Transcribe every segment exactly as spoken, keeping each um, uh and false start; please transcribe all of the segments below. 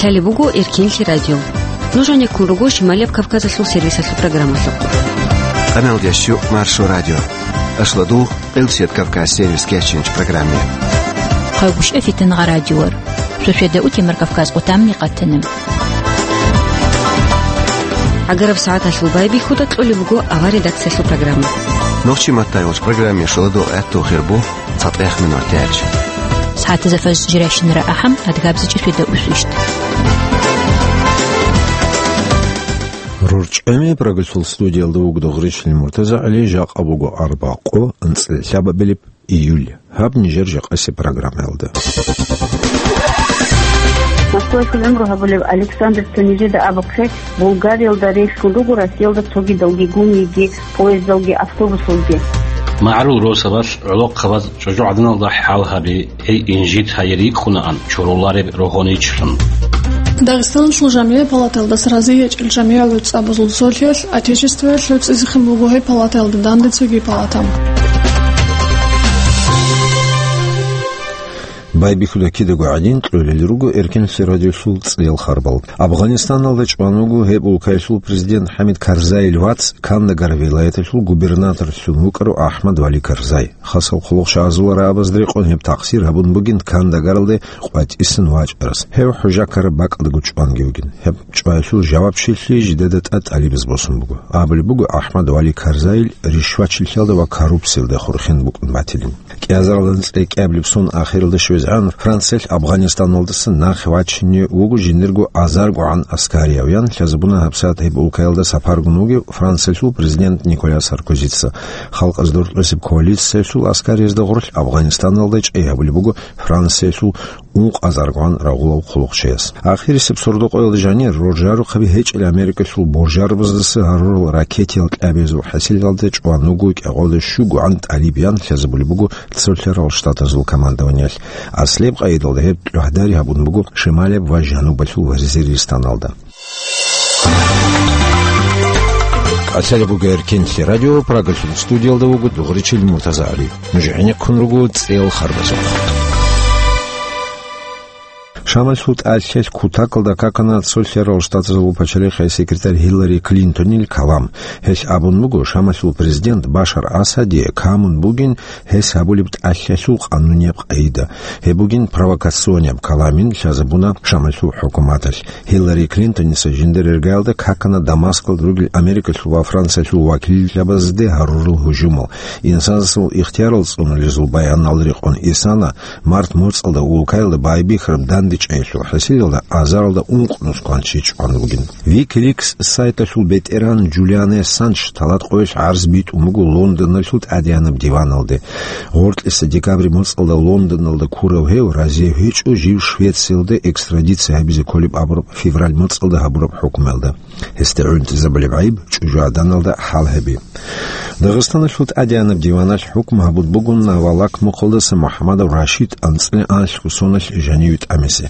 Лъалеб буго Эркинлъи радио. Нуж гьанеккун руго Шималияб Кавказалъул сервисалъул программалъухъ. Къаналдящу Маршо радио. Ашладу Къилсият Кавказ сервис кечинч программе. Хъайгуща фитнагъа радиор. Шошеда утемар Кавказ къутамни къатана. Агараб сагӀаталъул байбихьуда кьолеб буго авар редакциялъул программа. Нохчи маттай вач программе шоладо гӀатту хирбу. ЦатӀехъ минуталъ. СагӀатазда фажр жирайщинара ахӀам, адгабзичӀеб шведа усу ишт. РорчӀами программалъул студиялда вуго Дугъричил МуртазагӀали, жакъа буго арбакъо, анцӀила лъабабилеб июль. Гьаб нижер жакъасеб программаялда. Москваялъул гӀумру гьабулев Александр цо нижеда абухъе, Булгариялда релълъун руго Россиялда цогидалги гумиги, поездалги, автобусалги. МагӀарул росабалъ гӀолохъабаз чӀужугӀаданалда хӀал гьаби, гьей инжит гьайир йикӀунаан чорулареб рогьоничилан. Дагъистаналъул жамигӀи палаталдаса разие гьечӀел жамигӀал гӀуцӀабазул цолъиялъ Отечествоялъ гӀуцӀизехъин буго гьеб палатаялда данде цоги палата. Байбихьуда кидаго гӀадин, кьолел руго Эркинлъи радиолъул цӀел харбал. Афганистаналда чӀван вуго гьеб улкаялъул президент ХӀамид Карзайил вац, Кандагар вилаяталъул губернаторлъун вукӀарав АхӀмад Вали Карзай. Хасал хъулухъ шагьазул рагӀабазда рекъон гьеб тахсир гьабун бугин Кандагаралде къватӀисан вачӀарас. Гьев хӀужахъараб бакӀалдаго чӀванги вугин. Гьеб чӀваялъул жавабчилъи жидеда тӀад тӀалибаз босун буго. Абулеб буго, АхӀмад Вали Карзайил ришвачилъиялда ва коррупциялда хурхин букӀун батилин. КӀиазаралда анцӀила кӀиабилеб сон ахиралда щвезегӀан Франциялъ Афганистаналдаса нахъе вачине вуго жиндирго азаргогӀан аскариявян, лъазабуна гьабсагӀат гьеб улкаялда сапаргун вугев Франциялъул президент Николя Саркозица. Халкъаз дуртӀбесеб коалициялъул аскариязда гъорлъ Афганистаналда чӀей гьабулеб буго Франциялъул ункъазаргогӀан рагъулав хъулухъчияс. Ахирисеб сордо-къоялда жанир роржарухъаби гьечӀел Америкалъул боржарабаздаса гьарурал ракетиял кьабиязул хӀасилалда чӀван вуго кӀикъоялда щугогӀан тӀалиб ян лъазабулеб буго цолъарал штатазул командованиялъ. Аслияб къайдалда гьеб тӀугӀдари гьабун буго Шималияб ва Жанубалъул Вазиристаналда. Къасалеб буго Эркинлъи радио, Прагалъул студиялда вуго Дугъричил МуртазагӀали. Нуж гӀенеккун руго цӀел харбазухъ. Шамалъул тӀалъалъ кутакалда какана цолъарал штатазул пачалихъе секретарь Хиллари Клинтонил калам. Гьелъ абун буго, Шамалъул президент Башар Асадие камун бугин гьес гьабулеб тӀалъалъул къанунияб къайда. Гьеб бугин провокационияб каламин лъазабуна Шамалъул хӀукуматалъ. Хиллари Клинтоница жиндир иргаялда какана Дамаскалда ругел Америкалъул ва Франциялъул вакиллъабазде гьарурал гьужумал. Инсанасул ихтиярал цӀунулезул баянал рекъон исана март моцӀалда улкаялда байбихьараб дандечӀейялъул хӀасилалда азаралда ункънус кванчи чӀван вугин. Wikileaks сайталъул бетӀергьан Джулиан Ассанж талат къоялъ гӀарз битӀун буго Лондоналъул тӀадегӀанаб диваналде. Гъоркьиса декабрь моцӀалда Лондоналда ккурав гьев разие гьечӀо жив Швециялда экстрадиция гьабизе кколеб абураб февраль моцӀалда гьабураб хӀукмуялда. Гьесда гӀунтӀизабулеб гӀайиб чӀужугӀаданалда хӀал гьаби. Дагъистаналъул тӀадегӀанаб диваналъ хӀукму гьабун буго Навалак мухъалдаса МухӀамадов Рашид анцӀила алъго соналъ жаниве тӀамизе.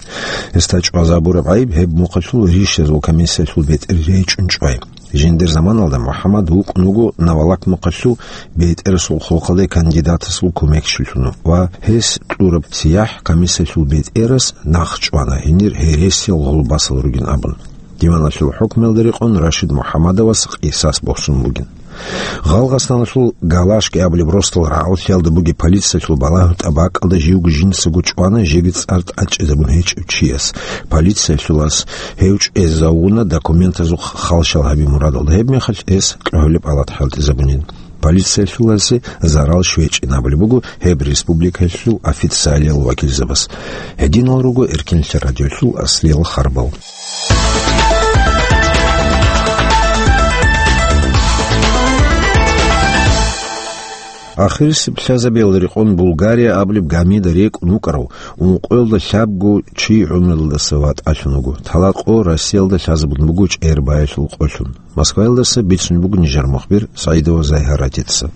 Гьесда чӀвазабураб гӀайиб гьеб мухъалъул ришазул комиссиялъул бетӀер речӀчӀун чӀвай. Жиндир заманалда МухӀамад вукӀун вуго Навалак мухъалъул бетӀерасул хъулухъалде кандидатасул кумекчилъун ва гьес кьураб сияхӀ комиссиялъул бетӀерас нахъ чӀвана, гьенир гьересиял гъулбасал ругин абун. Диваналъул хӀукмуялда рекъон Рашид МухӀамадовас къисас босун бугин. Гъалгъасаналъул Галашки абулеб росдал рагӀаллъиялда бугеб полициялъул балагьун тӀабакӀалда живго жинцаго чӀвана жеги цӀар тӀадчӀезабун гьечӀев чияс. Полициялъулас гьев чӀезавуна документазухъ халщал гьаби мурадалда, гьебмехалъ гьес кьогьолеб палат хӀалтӀизабунин. Полициялъуласе зарал щвечӀин абулеб буго гьеб республикаялъул официалиял вакилзабаз. Гьединал руго Эркинлъи радиолъул аслиял харбал. Ахирисеб лъазабиялда рекъон Булгария абулеб гамида рекӀун вукӀарав ункъоялда лъабго чи гӀумруялдаса ватӀалъун вуго. Талат къо Россиялда лъазабун буго чӀербаялъул къолъун. Москваялдаса бицун буго нижер мухбир СагӀидова Зайгьаратица.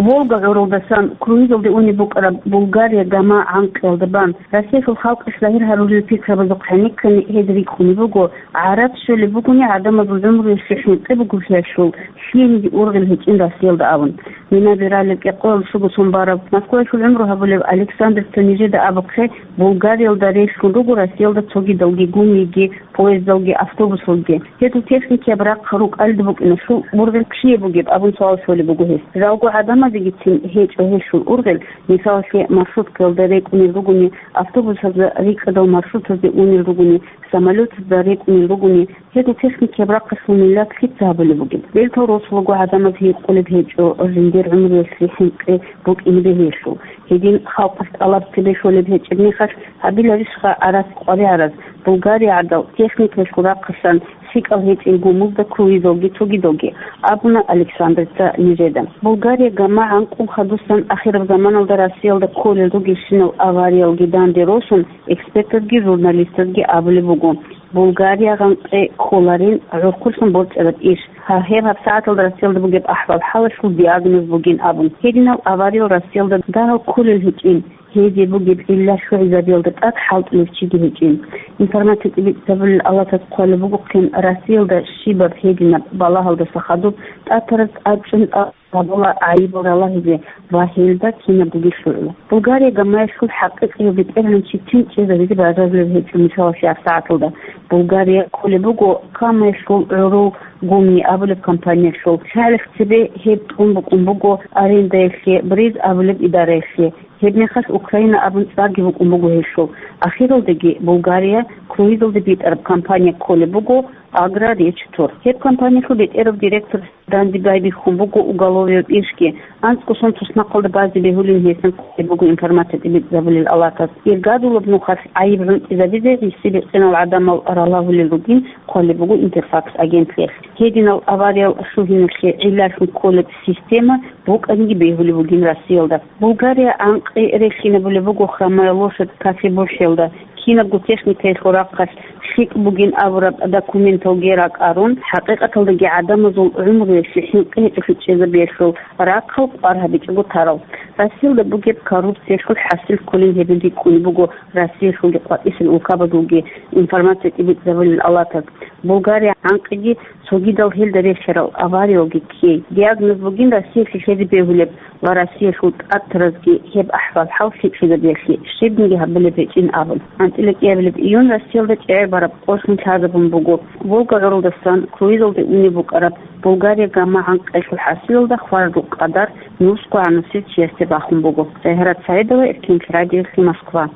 Волга гӀурулдасан круизалде унеб букӀараб Булгария гама гӀанкъиялда бан, Россиялъул халкъалъ загьир гьарулел пикрабазухъ гӀенеккани гьез рикӀкӀунеб буго, гӀарац щолеб бугони гӀадамазул гӀумруялъе хӀинкъи бугеблъиялъул лъиениги ургъел гьечӀин Россиялда абун. Минаби ралеб кӀикъоялда щуго сон бараб, Москваялъул гӀумру гьабулев Александрица нижеда абухъе, Булгариялда релълъун руго Россиялда цогидалги гумиги, поездалги, автобусалги. Гьезул техникияб рахъ рукӀалда букӀиналъул ургъел ккизе бугеб абун суал щолеб буго гьес. Жалго гӀадамазегицин гьечӀо гьелъул ургъел, мисалалъе, маршруткаялда рекӀунел ругони, автобусазда рикӀкӀадал маршрутазде унел ругони, самолетазда рекӀунел ругони, гьезул техникияб рахъалъул миллат лъица гьабулеб бугеб? Бертал росулаго гӀадамаз гьикъулеб гьечӀо жиндир гӀумруялъе хӀинкъи букӀине бегьиялъул. Гьедин халкъалъ тӀалаб цебе щолеб гьечӀеб мехалъ, гьабиларищха гӀарац къваригӀараз, Булгария гӀадал техникаялъул рахъалъан лъикӀал гьечӀел гумузда круизалги цогидалги, абуна Александрица нижеда. Булгария гама гӀанкъун хадусан ахираб заманалда Россиялда кколел ругелщинал авариялги данде росун, экспертазги журналистазги абулеб буго, Булгария гӀанкъи кколарин гӀурхъулъун борцӀараб иш. Гьа, гьеб гьабсагӀаталда Россиялда бугеб ахӀвал-хӀалалъул диагноз бугин абун. Гьединал авариял Россиялда дагьал кколел гьечӀин, гьезие бугеб гӀилла лъугӀизабиялда тӀад хӀалтӀулев чиги гьечӀин. Информация тӀибитӀизабулел алатас хъвалеб бугохъин, Россиялда щибаб гьединаб балагьалдаса хадуб тӀатараз тӀадчӀун тӀад гьабула гӀайибал ралагьизе ва гьелда кинабгоги лъугӀула. Булгария гамаялъул хӀакъикъияв бетӀергьанчи тинчӀезабизе бажарулеб гьечӀо мисалалъе гьабсагӀаталда. Булгария кколеб буго Камаялъул гӀурул Гумни абулеб компаниялъул. ЛъагӀалихъ цебе гьеб тӀун букӀун буго арендаялъе БРИЗ абулеб идараялъе. Гьебмехалъ Украина абун цӀарги букӀун буго гьелъул. Ахиралдаги Булгария круизалде битӀараб компания кколеб буго Агроречтор. Гьеб компаниялъул бетӀерав директор данде байбихьун буго уголовияб ишги, анцӀго сон туснахъалда базе бегьулин гьесин хъвалеб буго информация тӀибитӀизабулел алатас. Иргадулаб нухалъ гӀайиб гӀунтӀизабизе гьесие бикьинал гӀадамал ралагьулел ругин хъвалеб буго Интерфакс агентлъиялъ. Гьединал авариял лъугьиналъе гӀиллалъун кколеб система букӀаниги бегьулеб бугин Россиялда. Булгария гӀанкъи релълъинабулеб буго Хромая лошадь кофебухӀелда. Кинабго техникаялъул рахъалъ лъикӀ бугин абураб документалги ракӀарун, хӀакъикъаталдаги гӀадамазул гӀумруялъе хӀинкъи гьечӀолъи чӀезабиялъул рахъал къвар гьабичӀого тарал. Россиялда бугеб коррупциялъул хӀасил кколин гьебин рикӀкӀунеб буго Россиялъулги къватӀисел улкабазулги информация тӀибитӀизабулел алатас. Булгария гӀанкъиги цогидал гьелда релълъарал авариялги ккей. Диагноз бугин Россиялъе лъезе бегьулеб ва Россиялъул тӀатаразги гьеб ахӀвал-хӀал лъикӀлъизабиялъе щибниги гьабулеб гьечӀин абун. АнцӀила кӀиабилеб июнь Россиялда чӀегӀер бараб къо лъун лъазабун буго. Волга гӀурулдасан круизалде унеб букӀараб Булгария гама гӀанкъиялъул хӀасилалда хвараб къадар нусго гӀанасеб чиясде бахун буго. Загьират Саидова, Эркенлъи радиоялъе, Москва.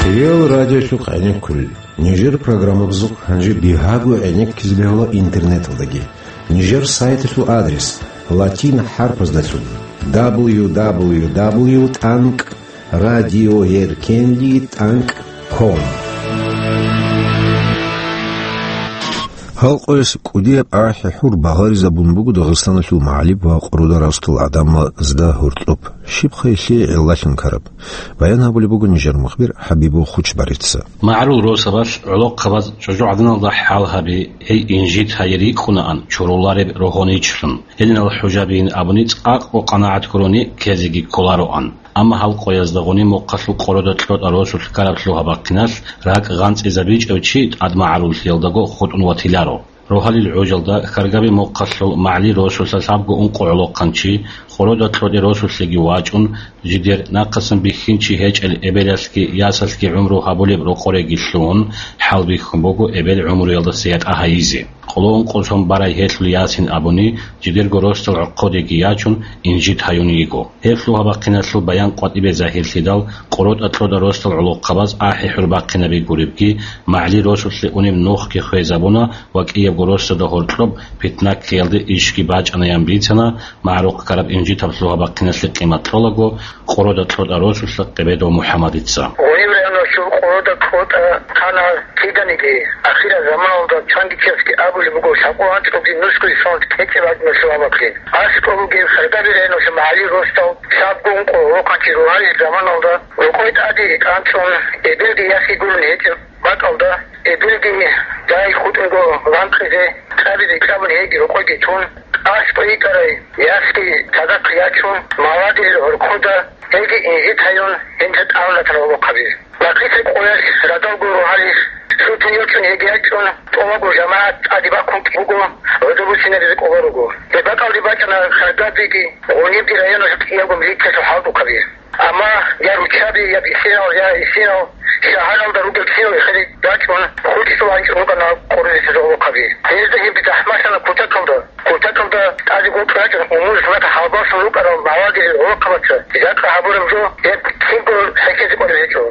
Хириял радиолъухъ гӀенеккулел. Нижер программабазухъ гьанже бигьаго гӀенеккизе бегьула интернеталдаги. Нижер сайталъул адрес латин хӀарпаздалъун: дабл ю дабл ю дабл ю тӀанкӀ радиоеркенлъи тӀанкӀ ком. Гьал къоялъ кӀудияб ахӀи-хӀур багъаризабун буго Дагъистаналъул магӀариб ва къородал росдал гӀадамазда гьоркьоб. Щибха гьелъие гӀиллалъун ккараб? Баян гьабулеб буго нижер мухбир ХӀабибул Хучбарица. МагӀарул росабалъ гӀолохъабаз чӀужугӀаданалда хӀал гьаби, гьей инжит гьайи рикӀкӀунаан чурулареб рогьоничилъун. Гьединал хӀужабиин абуни цӀакъго къанагӀат гурони ккезеги кколароан. Амма гьал къоязда гъуниб мухъалъул къородо кьотӀа росулъ ккараб лъугьа-бахъиналъ ракӀ гъанцӀизабичӀев чи тӀад магӀаруллъиялдаго хутӀун ватиларо. Рогьалил гӀужалда Хьаргаби мухъалъул МагӀли росулъа лъабго ункъо гӀолохъанчи, къородо кьотӀи росулъеги вачӀун, жидер нахъасан бихьинчи гьечӀел эбелалъги ясалъги гӀумру гьабулеб рокъореги лъугьун, хӀалбихьун буго эбел гӀумруялдаса ятӀа гьайизе. Къоло ункъо сон барай гьелъул ясин абуни, жидерго росдал гӀорхъодеги ячун, инжит гьаюн йиго. Гьеб лъугьа-бахъиналъул баян къватӀибе загьирлъидал, къоротӀа-кьода росдал гӀолохъабаз ахӀи-хӀур бахъинаби гуребги, МагӀли росулъе унеб нухги хвезабуна ва кӀиябго росдада гьоркьоб питна ккеялде ишги бачӀанаян бицана, магӀарухъ ккараб инжитаб лъугьа-бахъиналъе къимат кьолаго, къородо-кьода росулъа Къебедов МухӀаммадица. Гъуниб районалъул къородо-кьода хъана киданиги, ахирал заманалда чангичиясги абулеб буго, лъабкъо анцӀгоги нусгоги соналъ кьечӀеб гьадинал лъугьа-бахъин. АскӀов бугеб Хьаргаби районалъул МагӀли росдал лъабго ункъо гӀолохъанчи рогьалил заманалда рокъой тӀаде анцӀун, эбелги яхги гурони гьечӀеб бакӀалда, эбелги дай хутӀунго ванхъизе, кьабизе кьабун гьеги рокъойги тун, аскӀой йикӀарай ясги цадахъ ячун, мавадил гӀоркода гьеги инжит гьаюн гьенда тӀалатал гӀолохъаби. Бакъиса къоялъ радалго рогьалил сутун йочӀун гьеги ячӀун, тӀолабго жамагӀат тӀаде бахъун буго гӀодобусинаризе кӀоло руго. Гьеб бакӀалде бачӀана Харгабиги Гъунибги районалъул кӀиявго милициялъул хӀалтӀухъаби. Амма я руччаби, я бихьинал, я гьесинал, шагьаралда ругел кинал эхеде рачӀун, хутӀизул анцӀил рукӀана къоролесезул гӀолохъаби. Гьезда гьебги захӀмалъана кутакалда. Кутакалда тӀаде гъоркь рачӀун, умур-зулат хӀалбаллъун рукӀарал мавадил гӀолохъабаца жакъа гьабураб жо гьеб кинго хӀехьезе кӀолеб гьечӀо.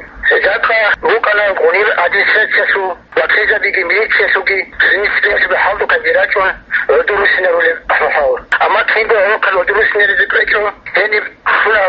Жакъа букӀана Гъуниб администрациялъул ва кьезабиги милициялъулги, гьениса бегьлъубе хӀалтӀухъабги рачӀун, гӀодор руссинарулел ахӀвалал. Амма кинго гӀолохъаби гӀодор руссинаризе кӀвечӀо, гьениб лъуна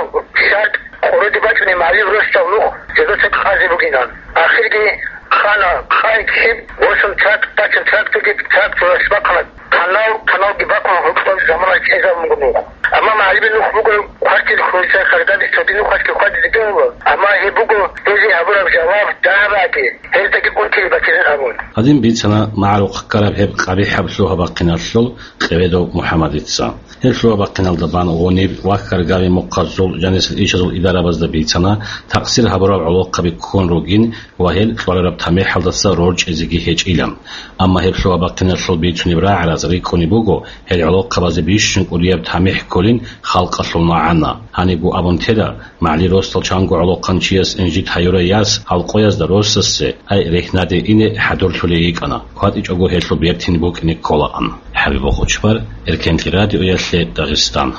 шартӀ къороде бачӀунеб магӀариб росдал нух жидеца къазе бугилан. Ахирги хана, хъай киб босун тракт бачун, тракторги тракторалъ бахъана, канал, каналги бахъун гьоркьоб замана кӀезабун буго нух. Амма магӀарибил нух буго квартир хунуса Харгаби цоги нухалъги хьвадизе бегьула, амма гьеб буго гьезие гьабураб жаваб дагьабаги, гьездаги унтизе батилан абун. Гьадин бицана магӀарухъ ккараб гьеб къабихӀаб лъугьа-бахъиналъул Къеведов МухӀаммадица. Гьеб лъугьа-бахъиналда бан гъуниб ва Харгаби мухъазул жанисел ишазул идарабазда бицана, такъсир гьабурал гӀолохъаби ккун ругин ва гьел кьварараб тамихӀалдаса рорчӀизеги гьечӀилан. Амма гьеб лъугьа-бахъиналъул бицунеб рагӀараз рикӀкӀунеб буго, гьел гӀолохъабазе бищун кӀудияб тамихӀ кколин халкъалъул магӀана. Гьанибго абун тела, магӀариб росдал чанго гӀолохъанчияс инжит гьаюрай яс гьал къоязда росасе, ай, рехьнаде ине хӀадурлъулей йикӀана, хьвадичӀого гьелъул бертин букӀине кколаан. ХӀабиб Бохочбар, Эркенлъи радиоялъе, Дагъистан.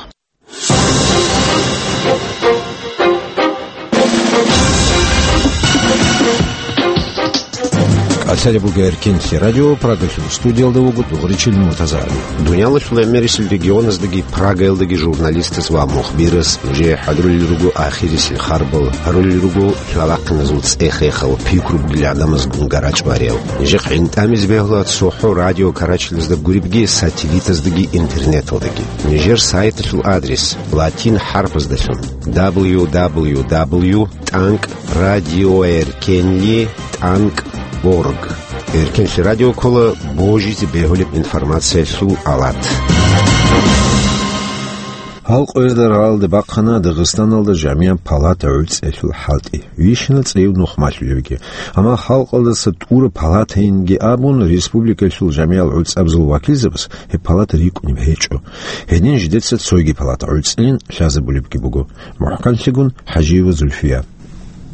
КӀалъалеб буго Эркенлъи радио, Прагалъул студиялда вуго Дугъричил Муртазагьали. Дуниялалъул гӀемерисел регионаздаги Прагаялдаги журналистас ва мухбирас нужее хӀадурулел руго ахирисел харбал, гьарулел руго лъугьа-бахъиназул цӀех-эхал, пикру бугел гӀадамазгун гарачӀ бариял. Нижехъ гӀинтӀамизе бегьула цохӀо радио карачалазда гуребги сателлитаздаги интернеталдаги. Нижер сайталъул адрес латин хӀарпаздалъун: дабл ю дабл ю дабл ю тӀанкӀ радиоэркенли тӀанкӀ орг. Эркенлъи радио ккола божизе бегьулеб информациялъул алат. Гьал къоялда рагӀалде бахъана Дагъистаналда жамигӀат палата гӀуцӀиялъул хӀалтӀи. Вищина цӀияб нух малъулебги. Амма халкъалдаса тӀура палатайинги абун, республикалъул жамигӀал гӀуцӀабазул вакилзабаз гьеб палата рикӀкӀунеб гьечӀо. Гьедин жидеца цойги палата гӀуцӀилин лъазабулебги буго. МухӀканлъигун ХӀажиева Зульфия.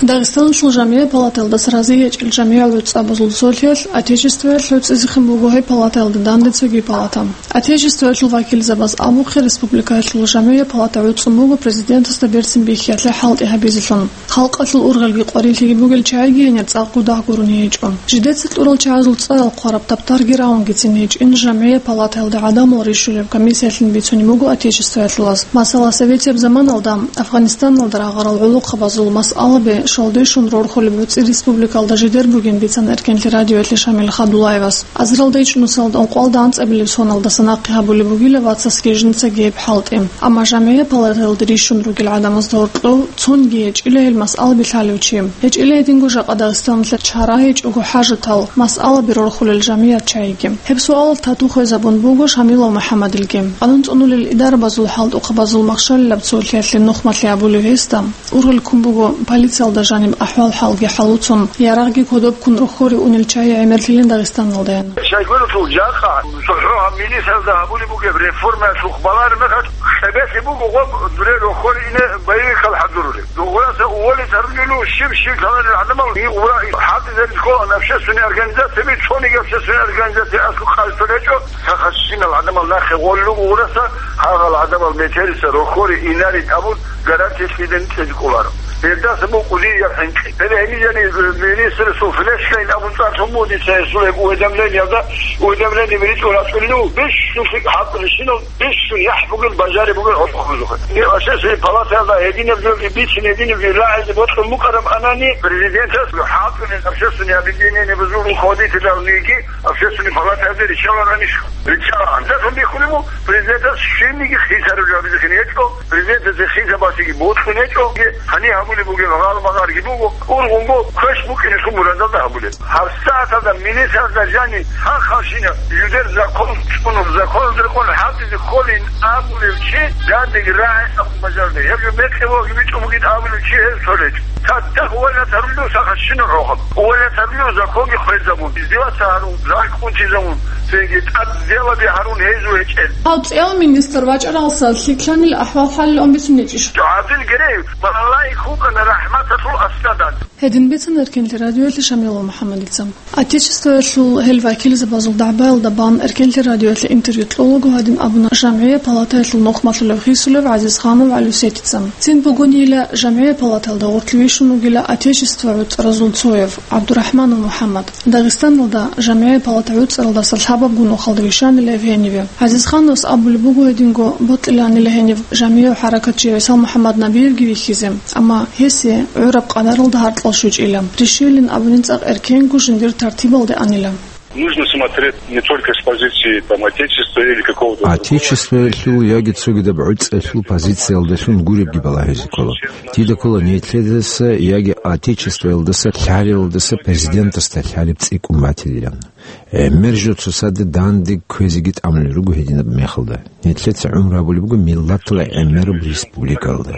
Дагъистаналъул жамигӀат палатаялдаса рази гьечӀел жамигӀал гӀуцӀабазул цолъиялъ Отечествоялъ гӀуцӀизехъин буго гьеб палатаялда данде цоги палата. Отечествоялъул вакилзабаз абухъе, республикаялъул жамигӀат палата гӀуцӀун буго президентасда берцин бихьиялъе хӀалтӀи гьабизелъун. Халкъалъул ургъелги къварилъиги бугел чагӀиги гьенир цӀакъго дагь гурони гьечӀо. Жидеца кьурал чагӀазул цӀарал хъвараб таптарги равунги цин гьечӀин жамигӀат палатаялда гӀадамал рищулеб комиссиялъин бицунеб буго Отечествоялъулаз. Масала, советияб заманалда Афганистаналда рагъарал гӀолохъабазул масъалаби шалдешун рорхулеб гӀуцӀи республикалда жидер бугин бицана Эркенлъи радиоялъе Шамил Хадулаевас. Азаралда ичӀнусалда ункъоялда анцӀабилеб соналдаса нахъе гьабулеб бугила вацасги жинцаги гьеб хӀалтӀи. Амма жамигӀат палатаялда рищун ругел гӀадамазда гьоркьов цонги гьечӀила гьел масъалаби лъалев чи. ГьечӀила гьединго жакъа Дагъистаналъ чара гьечӀого хӀажатал масъалаби рорхулел жамигӀат чагӀиги. Гьеб суалалъ тату хвезабун буго Шамилов МухӀаммадилги. Къанун цӀунулел идарабазул хӀалтӀухъабазул махщалилаб цолъиялъе нухмалъи абулев гьесда, ургъел ккун буго полициялда жаниб ахӀвал-хӀалги хӀалуцун, ярагъги кодобккун рохьоре унел чагӀи гӀемерлъилин Дагъистаналдаян. Шайгуралъул жакъа цохӀо гьаб милицаялда гьабулеб бугеб реформаялъухъ балараб мехалъ, цебелъи буго гъоб дуре рохьоре ине боевикал хӀадурулеб. Дугъураса уволить гьарулел щиб-щиб лъаларел гӀадамал, гьигъура хӀалтӀизаризе ккола общественный организацияби, цониги общественный организация аслу къалъулечӀо, сахасщинал гӀадамал нахъе гъоллугъураса, гьагъал гӀадамал метериса рохьоре инарин абун гарантиялъидин кьезе кӀоларо. Гьелдаса букӀуди я хӀинкъи. Гьеле гьениб жани министрасул флешкайин абун цӀар лъун буго дица гьесул гьеб уведомлениялда, уведомление ритӀун рачӀунев, бищун хӀалтӀулещинал, бищун яхӀ бугел, бажари бугел гьоркьохъузухъе. Гьеб общественный палатаялда гьединаб жоги бицин, гьединаб жоги рагӀизе бокьун букӀараб анани, президентас хӀалтӀулел общественный объединение бузул руководителалниги общественный палатаялде риччаларанищ? Риччалаан. Датун биххулеб буго, президентас щибниги хисараб жо гьабизехъин гьечӀо, президентасе хисабасеги бокьун гьечӀо. Гьаниб гьабулеб бугеб гьалмагъ Гьарги буго, ургъунго квеш букӀине шумуразалда гьабулеб. ГьабсагӀаталда министралда жани хъан-хъанщина жидер закон цӀунун, законалда рекъон хӀалтӀизе кколин абулев чи дандеги рагӀи абун бажарде. Гьеб жо мекъи ваги бичӀун бугин абулев чи гьев цо речӀ. Цадахъ увалатарулев сахат щинал гӀохаб. Увалатарулев законги хвезабун, издеваться гьарун, ракӀ унтизабун, цинги тӀад делаби гьарун гьезул гьечӀел. Гьав цӀиял министр вачӀаралса лъикӀлъанил ахӀвал-хӀалилан бицунечӀищ? ГӀабдул Герей, малаик вукӀана рахӀматалъул аскӀадан. Гьедин бицана Эркенлъи радиоялъе Шамилов МухӀаммадица. Отечествоялъул гьел вакилзабазул дагӀбаялда бан Эркенлъи радиоялъе интервью кьолаго гьадин абуна, жамгӀия палатаялъул нухмалъулев хисулев ГӀазизханов ГӀалусетица. Цин бугонила жамгӀия палатаялда гъорлъ вищун вугила Отечество гӀуцӀразул цояв ГӀабдурахӀманов МухӀаммад. Дагъистаналда жамгӀия палата гӀуцӀаралдаса лъабабго нухалда вищанила гьев гьениве. ГӀазизхановас абулеб буго гьединго бокьиланила гьенив жамгӀияв хӀаракатчи ГӀисал МухӀаммад Набиевги вихьизе, амма гьесие гӀураб къадаралда гьаркьал щучӀила. Рищилин абунин цӀакъ эркенго жиндир тартибалде анила. Нужно смотреть не только с позиции, там, Отечества или какого-то другого. Отечествоялъул яги цогидаб гӀуцӀиялъул позициялдалъун гуребги балагьизе ккола. Дида ккола нилъедаса яги Отечествоялдаса лъалевалдаса президентасда лъалеб цӀикӀкӀун батилилан. ГӀемер жо цоцаде данде кквезеги тӀамулел руго гьединаб мехалда. Нилъеца гӀумру гьабулеб буго миллатала гӀемераб республикалда.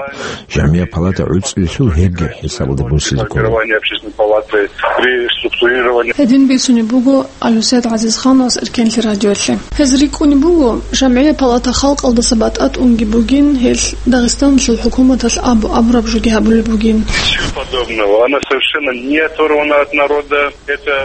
ЖамгӀия палата гӀуцӀулелъул гьебги хӀисабалда босизе ккола. Формирование общественной палаты, при структурировании. Гьедин бицунеб буго Алусет ГӀазизхановас Эркенлъи радиоялъе. Гьез рикӀкӀунеб буго, жамгӀия палата халкъалдаса батӀа тӀунги бугин, гьелъ Дагъистаналъул хӀукуматалъ абу-абураб жоги гьабулеб бугин. Ничего подобного. Она совершенно не оторвана от народа.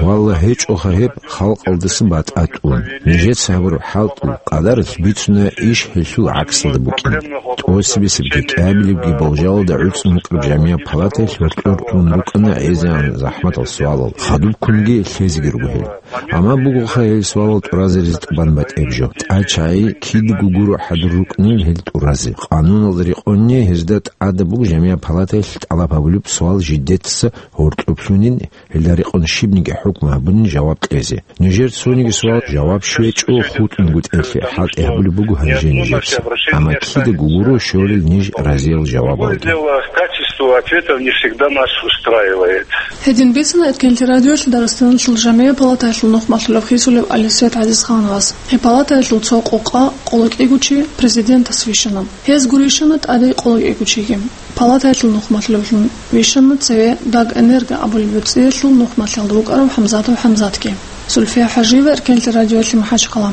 Валла, гьечӀоха гьеб, халкъалдаса батӀа тӀун. Нижеца гьабураб хӀалтӀул къадаралъ бицуна иш гьелъул гӀаксалда букӀин. ТӀосибесеб декӀабилебги болжалда гӀуцӀун букӀараб жамгӀия палатаялъ гьоркьор тун рукӀана гӀезегӀан захӀматал суалал, хадубккунги лъезеги руго гьел. Амма бугоха гьел суалал тӀуразаризе тӀубан батӀеб жо. ТӀачагӀи кидаго гуро хӀадур рукӀунел гьел тӀуразе. Къануналда рекъонни гьезда тӀадаб буго жамгӀия палатаялъ тӀалаб гьабулеб суал жидеца гьоркьоблъунин, гьелда рекъон щибниги хӀукму гьабунин жаваб кьезе. Нижер цониги суал жаваб щвечӀо хутӀунгутӀелъе хӀалтӀи гьабулеб буго гьанже нижеца. Амма кидаго гуро щолел ниж разиял жавабалги. Дело в качестве ответов не всегда нас устраивает. Гьедин бицана Эркенлъи радиоялъ Дагъистаналъул жамгӀия палатаялъул нухмалъулев хисулев Алисет ГӀазизхановас. Гьеб палатаялъул цо къокъа къолокӀигучи президентас вищана. Гьез гурищана тӀаде къолокӀигучиги. Палатаялъул нухмалъулевлъун вищана цеве Дагэнерго абулеб гӀуцӀиялъул нухмалъиялда вукӀарав ХӀамзатов ХӀамзатги. Сульфия ХӀажиева, Эркенлъи радиоялъе, МахӀачхъала.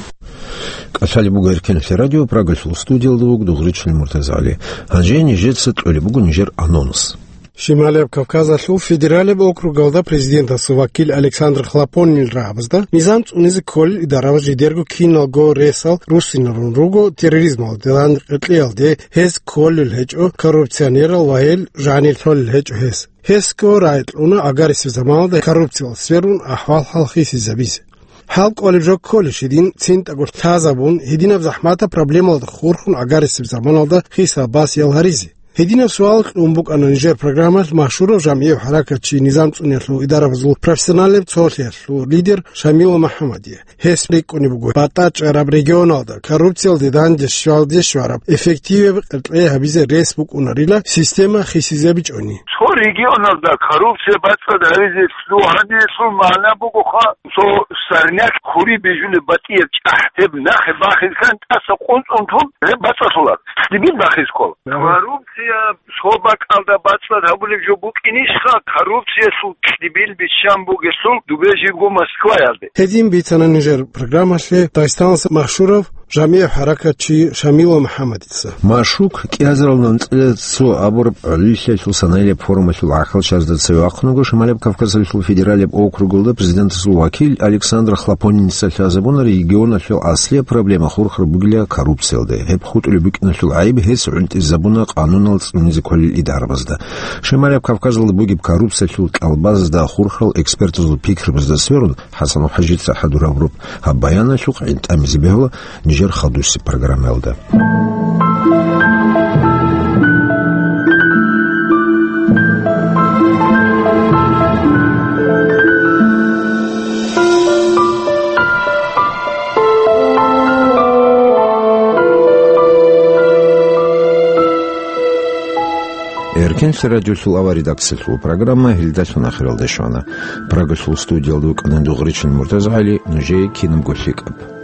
КӀалъалеб буго Эркенлъи радио, Прагалъул студиялда вуго Дугъричилин МуртазагӀали. Гьанже нижеца кьолеб буго нижер анонс. Шималияб Кавказалъул федералияб округалда президентасул вакил Александр Хлопонинил рагӀабазда низам цӀунизе кколел идарабаз жидерго киналго ресал руссинарун руго терроризмалда данде къеркьеялде, гьез кколел гьечӀо коррупционерал ва гьел жанир лъолел гьечӀо гьез. Гьесго рагӀи кьуна гӀагарисеб заманалда коррупциялъ сверун ахӀвал-хӀал хисизабизе. ХӀал кӀолеб жо кколищ гьедин цинтӀаго лъазабун, гьединаб захӀматаб проблемалда хурхун гӀагарисеб заманалда хисаб-басиял гьаризе? Гьединаб суал кьун букӀана нижер программалъ машгьурав жамгӀияв хӀаракатчи, низам цӀуниялъул идарабазул профессионалияб цолъиялъул лидер Шамилов МухӀаммадие. Гьес рикӀкӀунеб буго батӀа чӀараб регионалда коррупциялде данде щвалде щвараб эффективаб къеркьей гьабизе рес букӀунарила система хисизабичӀони. Цо регионалда коррупция бацӀцӀад гьаризе лъугьаниялъул магӀна бугоха, цо сорняк хъури бижулеб батӀияб чӀахӀ, гьеб нахъе бахилъан тӀаса къунцӀун тун, гьеб бацӀцӀалъулар, цӀибил бахиз ккола. Коррупция цо бакӀалда бацӀцӀад гьабулеб жо букӀинищха, коррупциялъул цӀибил биччан бугелъул дубе жибго Москваялде. Гьедин бицана нижер программалъе Дагъистаналъ машгьурав жамгӀияв хӀаракатчи Шамилов МухӀаммадица. Машук кӀиазарал анцӀила цо абураб гӀолилъиялъул санаялъ форумалъул гӀахьалчагӀазда цеве вахъун вуго Шималияб Кавказалъул федералияб округалда президентасул вакил Александр Хлопонинца. Лъазабуна регионалъул аслияб проблема хурхар бугила коррупциялда. Гьеб хутӀулеб букӀиналъул гӀайиб гьес гӀунтӀизабуна къанунал цӀунизе кколел идарабазда. Шималияб Кавказалда бугеб коррупциялъул кьалбазазда хурхарал экспертазул пикрабазда сверун, ХӀасан ХӀажица хӀадур гьабураб гьаб баяналъухъ гӀинтӀамизе бегьула нижер хадусеб программаялда. Инсарадиолъул авар редакциялъул программа гьелдалъун ахиралде щвана. Прагалъул студиялда вукӀана Дугъричин МуртазагӀали, нужее кинабго лъикӀаб.